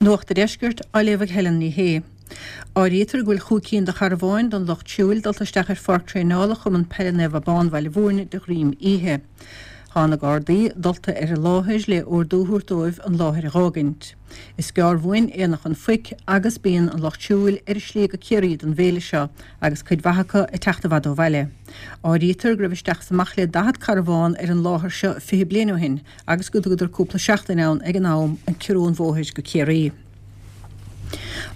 Nuacht a' Deiscirt á léamh ag Helen Ní Shé. Áirítear go bhfuil chúig cinn de charabháin don lucht siúil dulta isteach ar pháirc traenála Chumann Peile Naomh Abán Bhaile Mhúirne de dhroim oíche. Tá na Gardaí dulta ar an láthair le ordú a thabhairt dóibh an láthair a dh'fhágaint. Is gearr uainn Aonach an Phoic agus bíonn an lucht siúil ar a slí go Ciarraí don bhféile seo agus cuid mhaith acu ag teacht i bhfad ó bhaile. Áirítear go raibh isteach is amach le 40 carbhán ar an láthair seo 20 bliain ó shin agus go dtugadar cúpla seachtain ann ag an am ag ciorrú an bhóthair go Ciarraí.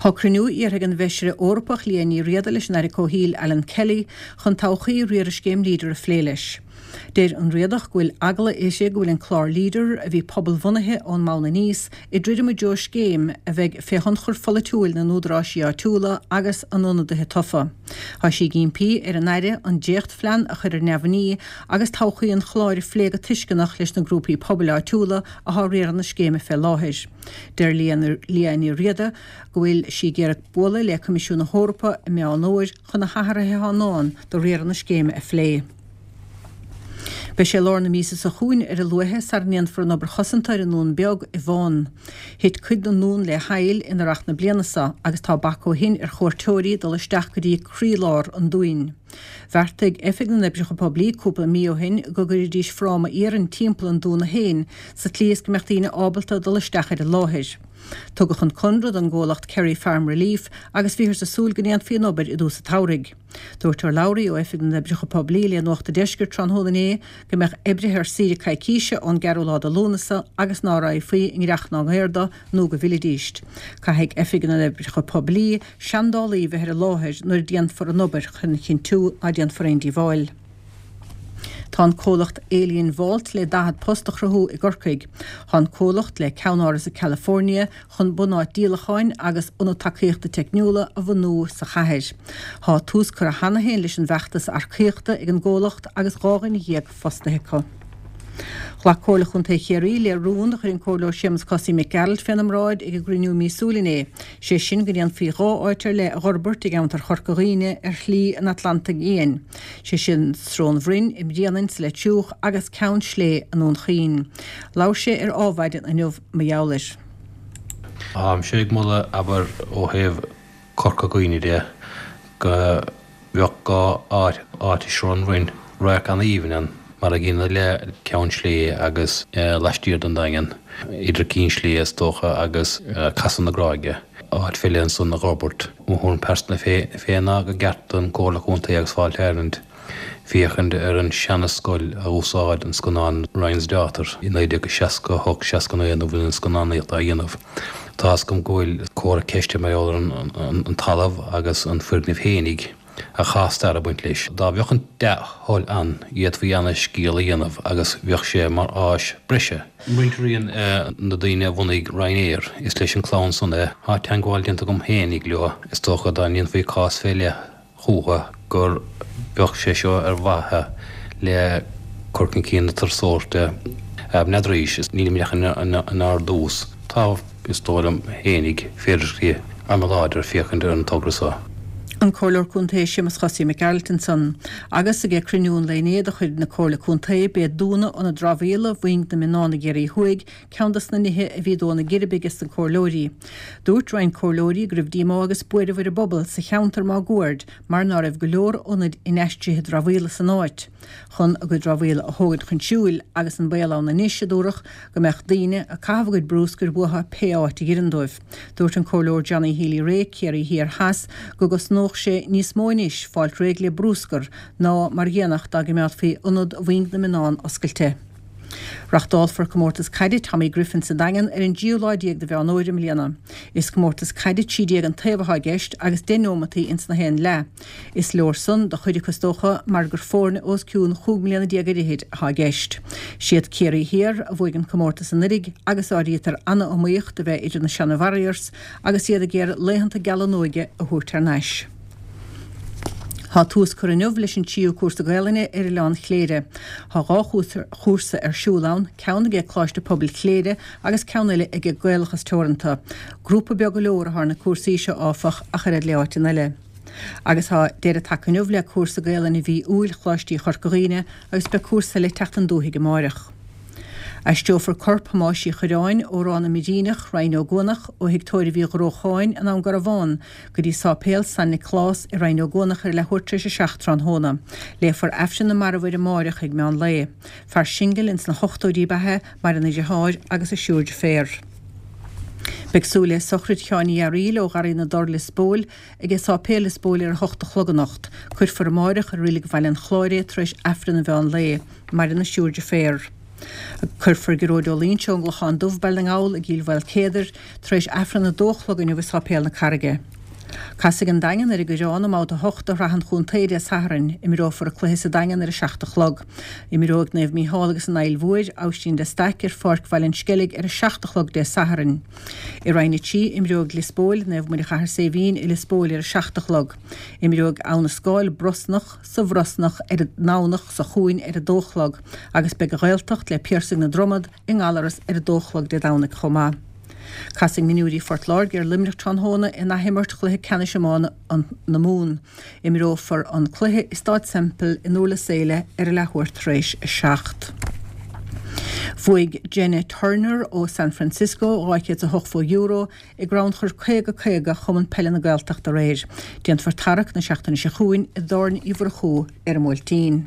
Tá cruinniú iarrtha ag an bhFeisire Eorpach Liadh Ní Riada leis an Aire Comhshaoil Alan Kelly chun todhchaí riaradh scéim Leader a phlé leis. Deir an Riadach go bhfuil eagla uirthi go bhfuil an clár Leader, a bhí pobal-bhunaithe ón mbonn aníos, ag druidim i dtreo scéim a bheidh fé thionchar pholaitiúil na n-údaráisí áitiúla agus a n-ionadaithe tofa. Tá sí ag impí ar an Aire an dréachtphlean a chur ar neamhní agus todhchaí an chláir a phlé go tuisceanach leis na grúpaí pobail áitiúla athá ag riaradh na scéime fé láthair. Deir Liadh Ní Riada go bhfuil sí ag iarraidh bualadh le Coimisiún na hEorpa i Meán Fhómhair chun na hathruithe athá i ndán do riaradh na scéime a phlé. Beidh sé lár na míosa seo chugainn ar a luaithe sara ndéanfar an obair chosanta ar an nDún Beag i bhFán. Thit cuid den ndún le haill in earrach na bliana seo agus tá bac ó shin ar chuairteoirí dul isteach go dtí croílár an dúin. Bheartaigh Oifig na nOibreacha Poiblí cúpla mí ó shin go gcuirfidís fráma iarainn timpeall an dúna féin sa tslí is go mbeadh daoine ábalta dul isteach ar an láthair. Tugadh an conradh don gcomhlacht Kerry Farm Relief agus bhíothas ag súil go ndéanfaí an obair i dtús an tsamhraidh. Dúirt urlabhraí ó Oifig na nOibreacha Poiblí le Nuacht an Deiscirt tráthnóna inné go mbeadh oibrithe ar saoire coicíse ón gceathrú lá de Lúnasa agus ná raghfaí i ngnreach ná i ngaor dó nó go bhfillfidís. Caithfidh Oifig na nOibreacha Poiblí seandálaí bheith ar an láthair nuair a déanfar an obair chun a chinntiú ná déanfar aon díobháil. Tá an comhlacht Alien Vault le 40 post a chruthú i gCorcaigh. Tá an comhlacht le ceannáras i California chun bunáit díolacháin agus ionad tacaíochta teicniúla a bhunú sa chathair. Tá tús curtha cheana féin leis an bhfeachtas earcaíochta ag an gcomhlacht agus 12 dhuine fostaithe acu. Ghlac Comhairle Chontae Chiarraí le rún a chuir an Comhairleoir Séamus Cosaí Mac Gearailt féna mbráid ag a gcruinniú míosúil inné, sé sin go ndéanfaí 2 áit ar leith a dh'fhorbairt i gceantar Chorca Dhuibhne ar Shlí an Atlantaigh Fhiáin, sé sin Srón Bhroin i mBréanainn sa Leitir Fhiuch agus Ceann Slé i nDún Chaoin. Labhair sé ar Ádhmhaidin inniu mar gheall air. Táimse ag moladh, abair, ó thaobh Corca Dhuibhne de, go mbeadh 2 áit, áit i Srón Bhroin, radharc an-aoibhinn ann, mar an gcéanna le Ceann Slé agus laistiar den Daingean, idir Cinn Slé is dócha agus Casadh na Gráige, áit fé leith ansan a dh'fhorbairt. Mo thuairim pearsanta féin ná go gceart don Comhairle Contae agus Fáilte Ireland féachaint ar an seana-scoil a dh'úsáid an scannán Ryan's Daughter i 1968, 69 nuair a bhí an scannánaíocht á dhéanamh. Tá's agam go bhfuil comhartha ceiste mar gheall ar an talamh agus an foirgneamh fhéinig ach tá stair ag baint leis. Dá bheadh an dea-thoil ann d'fhéadfaí ana-scéal a dhéanamh agus bheadh sé mar áis breise. Muintir na daoine a bhunaigh Ryanair, is leis an clann san é. Tá teangmháil déanta agam fhéinig leo, is dócha dá ndéanfaí cás fé leith chucu gur bheadh sé seo ar mhaithe le cur chun cinn na turasóireachta. N'fheadaraís, nílim ach inár dtús. Tá, is dóigh liom fhéinig, féidearthachtaí ana-láidir féachaint ar an togra seo. An Comhairleoir Contae Séamus Chosaí Mac Gearailt ansan. Agus ag cruinniú an lae inné de chuid na Comhairle Contae, b'é dúnadh ionad dramhaíola Mhuing na Mionnán i gCiarraí Thuaidh ceann dos na nithe a bhí ag dó na geirbe ages na comhairleoirí. Dúirt roinnt comhairleoirí go raibh díomá agus buaireamh ar an bpobal sa cheantar máguaird mar ná raibh go leor ionaid inaistrithe dramhaíola san áit chun a gcuid dramhaíola a thógaint chun siúil agus an baol ann anois, a dúradh, go mbeadh daoine ag caitheamh a gcuid brúscair uathu pé áit a dh'oireann dóibh. Dúirt an Comhairleoir Johnny Healy-Rae, Ciarraí Thiar Theas, go gcosnódh sé níos mó anois fáilt réidh le brúscar ná mar a dhéanfadh dá gcimeádfaí ionad Mhuing na Mionnán oscailte. Reachtálfar comórtas caide Tommy Griffin sa Daingean ar an dtríú lá déag de Mheán Fhómhair i mbliana. Is comórtas caide 13 an taobh athá i gceist agus 10 neomataí ins na haon leath. Is leor san do chuid acu is dócha mar gur foirne os cionn chúig mbliana déag ar fhichid athá i gceist. Siad Ciarraí Thiar a bhuaigh an comórtas anuiridh agus áirítear ana-iomaíocht a bheith idir na seana Warriors agus iad ag iarraidh laethanta geala a n-óige a thabhairt thar n-ais. Tá tús curtha inniu leis an tríú cúrsa Gaelainne ar Oileán Chléire. Tá 2 chúrsa ar siúl ann, ceann aige Coláiste Pobail Chléire agus ceann eile aige Gaelachas Teoranta. Grúpa beag go leor atá ar na cúrsaí seo áfach ach oiread le áiteanna eile. Agus tá deireadh tagtha inniu le cúrsa Gaelainne mhí Iúil Choláistí Chorca Dhuibhne agus beidh cúrsa eile ag teacht an dúthaigh amáireach. Aistreofar corp Thomáis Uí Chuireáin ó Ráth na mBiríneach, Rinn Ó gCuanach, ó thigh tórraimh Uí Ghrócháin in Am Garbhán go dtí Sáipéal San Nioclás i Rinn Ó gCuanach ar a leathuair tar éis 7 tráthnóna. Léifear Aifreann na Marbh air amáireach ag meán lae. Fear singil ins na hochtóidí ab ea é, maireann a dheartháir agus a thriúr deirféar. Beidh súil le sochraid Sheáin Uí Fhearaíl ó Gharraí na dTor, Lios Póil, ag Sáipéal Lios Póil ar 8 a chlog anocht. Cuirfear amáireach i Reilig Bhaile an Chláir é tar éis Aifreann an mheán lae. Maireann a thriúr deirféar. Cuirfear Gearóid Ó Loingsigh ón gClochán Dubh, Baile na nGall, i gCill Mhaoilcéadair tar éis Aifreann a dó a chlog inniu i Sáipéal na Carraige. Casfaidh an Daingean ar an gCoireán i mbabhta 8 de Shraith an Chontae Dé Sathairn. Imreofar an cluiche sa Daingean ar 7 a chlog. Imreoidh Naomh Mícheál agus an Aill Mhóir, Aibhistín de Staic ar Pháirc Bhaile an Sceilg ar 7 a chlog Dé Sathairn. I Roinn 3, imreoidh Lios Póil, Naomh Muire Chathair Saidhbhín i Lios Póil ar 7 a chlog. Imreoidh Abha na Scáil, Brosnach, sa Bhrosnach ar an nDomhnach seo chugainn ar 2 a chlog agus beidh an Ghaeltacht le Piarsaigh na Dromad i nGallaras ar 2 a chlog Dé Domhnaigh chomh maith. Casfaidh Mionúirí Phort Láirge ar Luimneach tráthnóna in athimirt chluiche ceannais iomána na Mumhan. Imreofar an cluiche i Stáid Semple i nDurlas Éile ar a leathuair tar éis 7. Bhuaigh Jenna Turner ó San Francisco €280 i gcrannchur 50 50 Chumann Peile na Gaeltachta aréir. Déanfar tarrac na seachtaine seo chugainn i dTorn Uí Mhurchú ar an mBuailtín.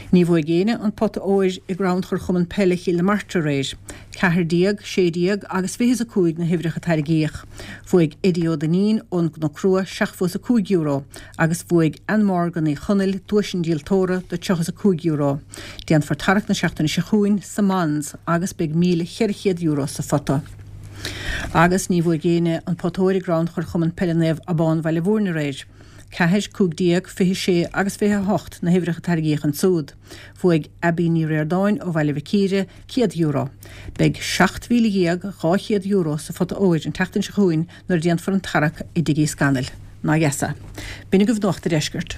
Ní bhuaigh éinne an pota óir i gcrannchur Chumann Peile Chill na Martra aréir. 14, 16 agus 25 na huimhreacha a tairgíodh. Bhuaigh Eddie Ó Duinnín ón gCnoc Rua €75 agus bhuaigh Ann Morgan Uí Chonaill duais an díoltóra de €35. Déanfar tarrac na seachtaine seo chugainn sa Mons agus beidh €1,400 sa phota. Agus ní bhuaigh éinne an pota óir i gcrannchur Chumann Peile Naomh Abán Bhaile Mhúirne aréir. 4, 15, 26 agus 28 na huimhreacha a tairgíodh ansúd. Bhuaigh Abbie Ní Ríordáin ó Bhaile Mhic Íre €100. Beidh €17,200 sa phota óir an tseachtain seo chugainn nuair a déanfar an tarrac i dTigh Uí Scanaill. Ná dheasa. B'in agaibh Nuacht a' Deiscirt.